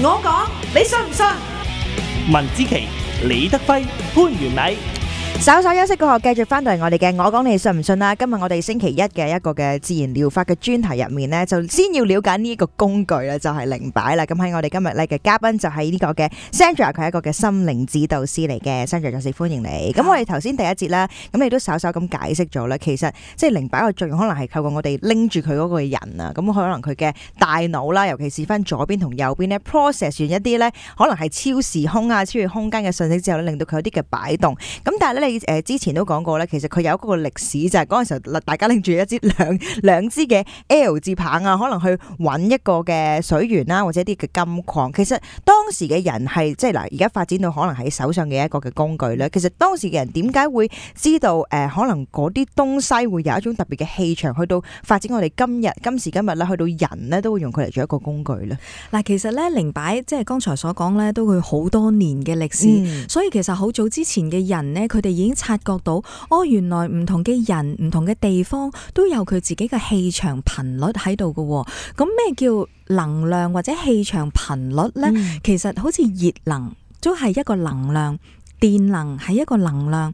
我講，你信唔信？文之奇、李德輝、潘元禮。稍稍休息過後，繼續翻到嚟我哋嘅我講你信唔信啦。今日我哋星期一嘅一個嘅自然療法嘅專題入面呢，就先要了解呢一個工具啦，就係靈擺啦。咁喺我哋今日咧嘅嘉賓就係呢個嘅 Sandra， 佢係一個嘅心靈指導師嚟嘅。Sandra， 再次歡迎你。咁我哋頭先第一節啦，咁你都稍稍咁解釋咗啦。其實即係靈擺嘅作用，可能係透過我哋拎住佢嗰個人啊，咁可能佢嘅大腦啦，尤其是翻左邊同右邊呢 process 完一啲咧，可能係超時空啊、超越空間嘅信息之後咧，令到佢有啲嘅擺動。咁但係咧，你之前都講過咧，其實佢有一個歷史，就係嗰陣時候大家拎住一支兩支嘅 L 字棒啊，可能去揾一個嘅水源啦，或者一啲嘅金礦。其實當時嘅人係即係嗱，而家發展到可能喺手上嘅一個嘅工具咧。其實當時嘅人點解會知道可能嗰啲東西會有一種特別嘅氣場，去到發展我哋今時今日咧，去到人咧都會用佢嚟做一個工具咧。嗱，其實咧靈擺即係剛才所講咧，都會好多年嘅歷史，所以其實好早之前嘅人呢，佢哋已經察覺到原來唔同嘅人、唔同嘅地方都有佢自己嘅氣場頻率喺度嘅。咁咩叫能量或者氣場頻率呢？其實好似熱能都係一個能量，電能係一個能量，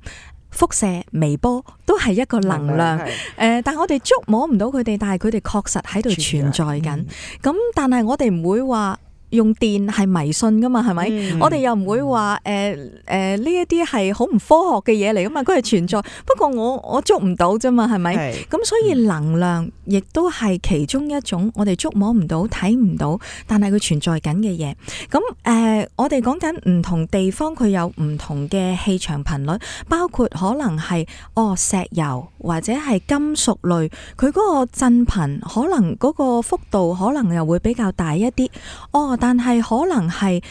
輻射、微波都係一個能量。但係我哋觸摸唔到佢哋，但係佢哋確實喺度存在緊。咁但係我哋唔會話用電係迷信噶嘛，係咪？我哋又唔會話呢一啲係好唔科學嘅嘢嚟噶嘛，佢係存在。不過我捉唔到啫嘛，係咪？咁所以能量亦都係其中一種我哋捉摸唔到、睇唔到，但係佢存在緊嘅嘢。咁我哋講緊唔同地方佢有唔同嘅氣場頻率，包括可能係石油或者係金屬類，佢嗰個振頻可能嗰個幅度可能又會比較大一啲。但係可能係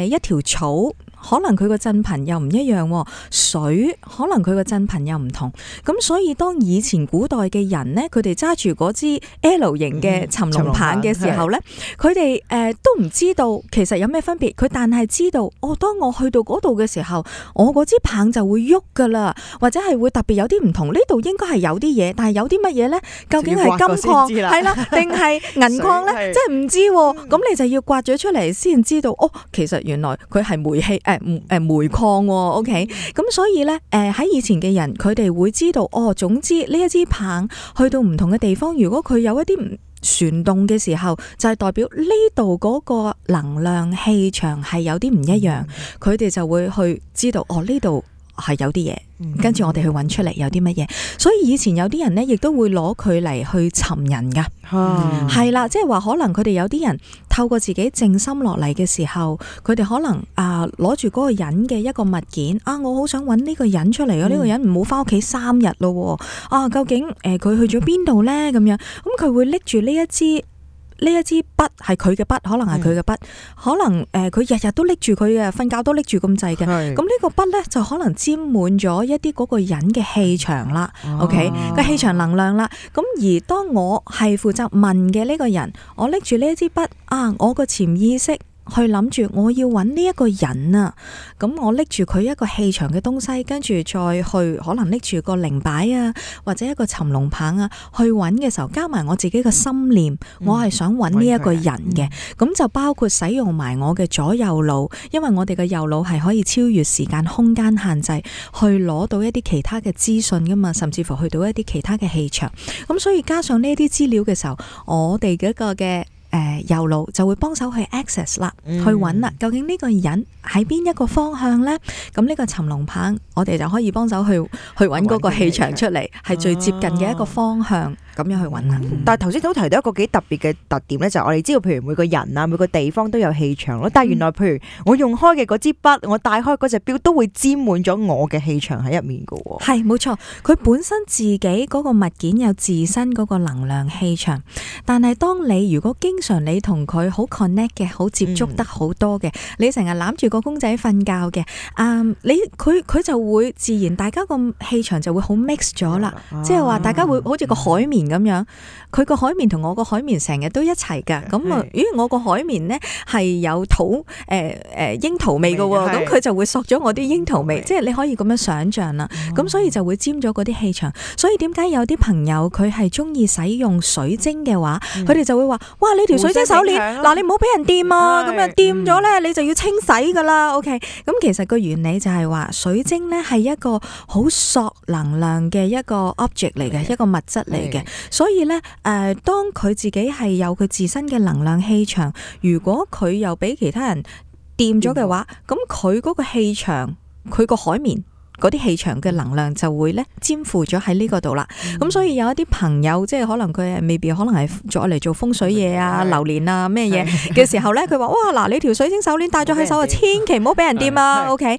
一條草，可能佢個振頻又唔一樣，水可能佢個振頻又唔同。咁所以當以前古代嘅人呢，佢哋揸住嗰支 L 型嘅尋龍棒嘅時候呢，佢哋都唔知道其實有咩分別。佢但係知道，當我去到嗰度嘅時候，我嗰支棒就會喐噶啦，或者係會特別有啲唔同。呢度應該係有啲嘢，但係有啲乜嘢呢？究竟係金礦係啦，定係銀礦呢？即係唔知。咁你就要刮咗出嚟先知道。其實原來佢係煤氣煤礦，OK， 咁所以咧，喺以前嘅人，佢哋會知道，總之呢一支棒去到唔同嘅地方，如果佢有一啲唔旋動嘅時候，就係代表呢度嗰個能量氣場係有啲唔一樣，佢哋就會去知道，呢度係有啲嘢。跟住我哋去揾出嚟有啲乜嘢，所以以前有啲人呢，亦都會攞佢嚟去尋人噶，係啦，即係話可能佢哋有啲人透過自己靜心落嚟嘅時候，佢哋可能攞住嗰個人嘅一個物件，我好想揾呢個人出嚟啊！呢個人唔好翻屋企3日咯，究竟佢去咗邊度呢？咁樣，咁佢會拎住呢一支筆係佢嘅筆，可能係佢嘅筆，可能佢日日都拎住佢嘅，瞓覺都拎住咁滯嘅。咁呢個筆呢，就可能沾滿咗一啲嗰個人嘅氣場啦。OK， 個氣場能量啦。咁而當我係負責問嘅呢個人，我拎住呢一支筆我個潛意識去諗住我要揾呢一個人啊，咁我拎住佢一個氣場嘅東西，跟住再去可能拎住個靈擺啊，或者一個尋龍棒啊，去揾嘅時候，加埋我自己嘅心念，我係想揾呢一個人嘅，咁就包括使用埋我嘅左右腦，因為我哋嘅右腦係可以超越時間空間限制，去攞到一啲其他嘅資訊噶嘛，甚至乎去到一啲其他嘅氣場，咁所以加上呢啲資料嘅時候，我哋嗰個嘅右腦就會幫手去 access 啦，去揾啦，究竟呢個人喺邊一個方向呢？咁呢個尋龍棒，我哋就可以幫手去揾嗰個氣場出嚟，係最接近嘅一個方向。咁樣去揾啦。但係頭先都提到一個幾特別嘅特點咧，就係我哋知道，譬如每個人啊，每個地方都有氣場咯。但係原來譬如我用開嘅嗰支筆，我戴開嗰隻錶，都會沾滿咗我嘅氣場喺入面㗎喎。係冇錯，佢本身自己嗰個物件有自身嗰個能量氣場，但係當你如果經常你同佢好 connect 嘅，好接觸得好多嘅，你成日攬住個公仔瞓覺嘅，佢就會自然大家個氣場就會好 mix 咗啦，即係話大家會好似個海綿咁樣，佢個海綿同我個海綿成日都一齊噶，咁啊，咦，我個海綿呢係有櫻桃味噶喎，咁佢就會索咗我啲櫻桃味，即係你可以咁樣想象啦，咁所以就會沾咗嗰啲氣場，所以點解有啲朋友佢係中意使用水晶嘅話，佢哋就會話，哇，你條條水晶手鏈，嗱你唔好俾人掂啊，咁樣掂咗咧，你就要清洗噶啦。OK， 咁其實個原理就係話，水晶咧係一個好索能量嘅一個 object 嚟嘅，一個物質嚟嘅，所以咧當佢自己係有佢自身嘅能量氣場，如果佢又俾其他人掂咗嘅話，咁佢嗰個氣場，佢個海綿嗰啲氣場嘅能量就會咧沾附咗喺呢個度啦。咁所以有一啲朋友即係可能佢未必可能係再嚟做風水嘢啊、流年啊咩嘢嘅時候咧，佢話哇嗱，你條水晶手鏈戴咗喺手啊，千祈唔好俾人掂啊。OK，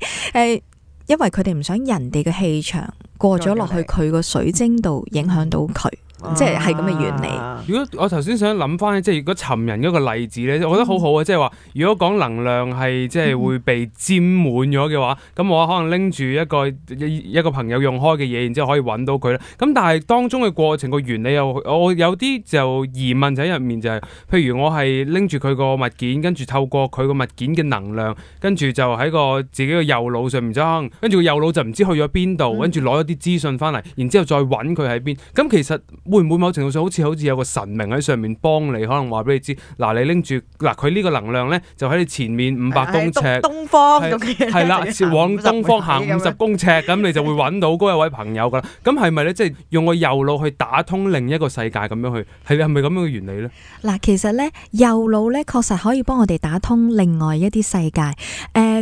因為佢哋唔想人哋嘅氣場過咗落去佢個水晶度，影響到佢。即係咁嘅原理。如果我頭先想諗翻，即係如果尋人嗰個例子咧，我覺得好好啊！即係話，如果講能量係即係會被沾滿咗嘅話，咁我可能拎住一個朋友用開嘅嘢，然之後可以揾到佢啦。咁但係當中嘅過程個原理我有啲就疑問就喺入面，就係譬如我係拎住佢個物件，跟住透過佢個物件嘅能量，跟住就喺個自己嘅右腦上面爭，跟住個右腦就唔知去咗邊度，跟住攞一啲資訊翻嚟，然之後再揾佢喺邊。咁其實會唔會某程度上好似有個神明喺上面幫你，可能話俾你知，嗱你拎住嗱佢呢個能量咧，就喺你前面500公尺，東方係啦，往東方行50公尺，咁你就會揾到嗰一位朋友噶啦。咁係咪咧？即係用個右腦去打通另一個世界咁樣去，係咪咁樣嘅原理咧？嗱，其實咧右腦咧確實可以幫我哋打通另外一啲世界。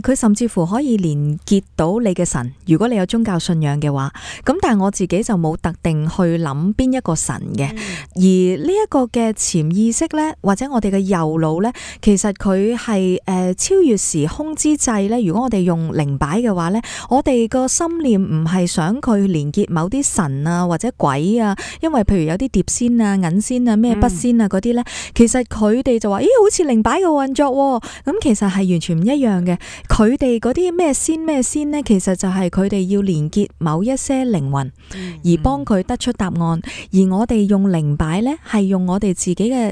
佢甚至乎可以連結到你嘅神，如果你有宗教信仰嘅話。咁但係我自己就冇特定去諗邊一個神嘅。而呢一個嘅潛意識咧，或者我哋嘅右腦咧，其實佢係超越時空之際咧。如果我哋用靈擺嘅話咧，我哋個心念唔係想佢連結某啲神啊或者鬼啊，因為譬如有啲碟仙啊、銀仙啊、咩筆仙啊嗰啲咧，其實佢哋就話咦好似靈擺嘅運作喎。咁其實係完全唔一樣嘅。佢哋嗰啲咩仙咧，其實就係佢哋要連結某一些靈魂，而幫佢得出答案。而我哋用靈擺咧，係用我哋自己嘅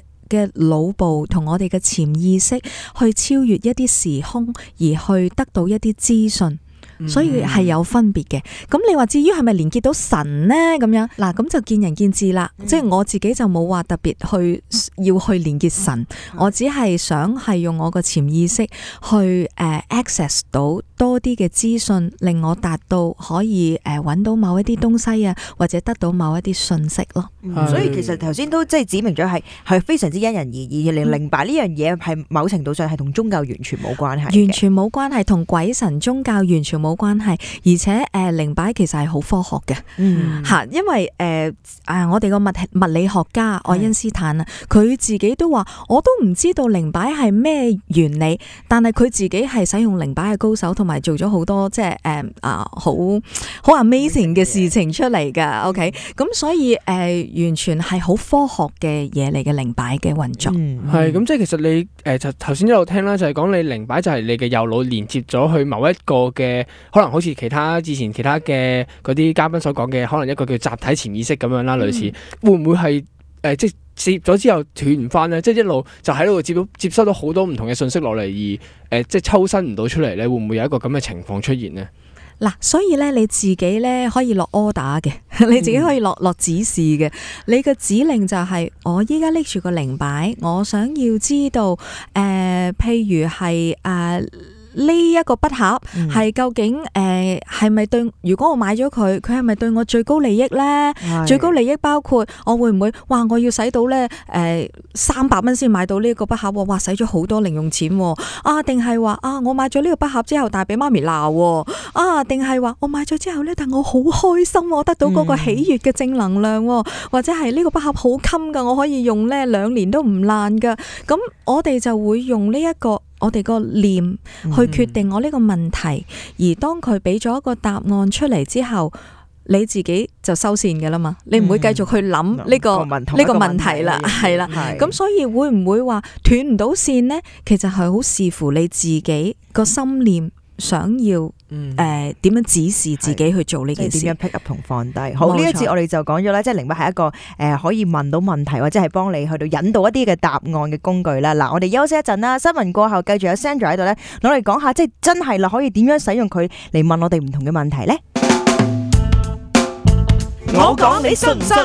腦部同我哋嘅潛意識去超越一啲時空，而去得到一啲資訊。所以係有分別嘅。咁你話至於係咪連結到神呢？咁樣嗱，咁就見仁見智啦。即係我自己就冇話特別要去連結神，我只係想係用我個潛意識去access 到多啲嘅資訊，令我達到可以揾到某一啲東西啊，或者得到某一啲信息咯。所以其實頭先都即係指明咗係非常之因人而異。靈擺呢樣嘢係某程度上係同宗教完全冇關係，完全冇關係，同鬼神宗教完全冇關係。而且靈擺其實係好科學嘅，吓，因為我哋個物理學家愛因斯坦啊，佢自己都話我都唔知道靈擺係咩原理，但係佢自己係使用靈擺嘅高手，同埋做咗好多即係好 amazing 嘅事情出嚟噶。OK， 咁所以完全係好科學嘅嘢嚟嘅靈擺嘅運作。係咁，即係其實你就頭先一路聽啦，就係講你靈擺就係你嘅右腦連接咗去某一個嘅，可能好似之前其他嘅嗰啲嘉賓所講嘅，可能一個叫集體潛意識咁樣啦，類似會唔會係即係接咗之後斷唔翻咧？即係一路就喺度接收到好多唔同嘅信息落嚟，而即係抽身唔到出嚟咧，會唔會有一個咁嘅情況出現呢？嗱，所以咧你自己咧可以落 order 嘅，你自己可以落指示嘅。你嘅指令就係我依家拎住個靈擺，我想要知道譬如係呢一個筆盒係究竟係咪對？如果我買咗佢係咪對我最高利益咧？最高利益包括我會唔會我要使到咧300蚊先買到呢個筆盒？哇，使咗好多零用錢啊！定係話我買咗呢個筆盒之後，但係俾媽咪鬧啊？定係話我買咗之後咧，但我好開心，我得到嗰個喜悅嘅正能量，或者係呢個筆盒好襟噶，我可以用咧2年都唔爛噶。咁我哋就會用呢一個。我哋個念去決定我呢個問題，而當佢俾咗一個答案出嚟之後，你自己就收線嘅啦嘛，你唔會繼續去諗呢個問題啦，係啦。咁所以會唔會話斷唔到線呢？其實係好視乎你自己個心念想要點樣指示自己去做呢件事，點樣 pick up 同放低。好，呢一次我哋就講咗啦，即係靈擺係一個可以問到問題或者係幫你去到引導一啲嘅答案嘅工具啦。嗱，我哋休息一陣啦，新聞過後繼續有 Sandra 喺度咧，攞嚟講下即係真係啦，可以點樣使用佢嚟問我哋唔同嘅問題咧？我講你信唔信？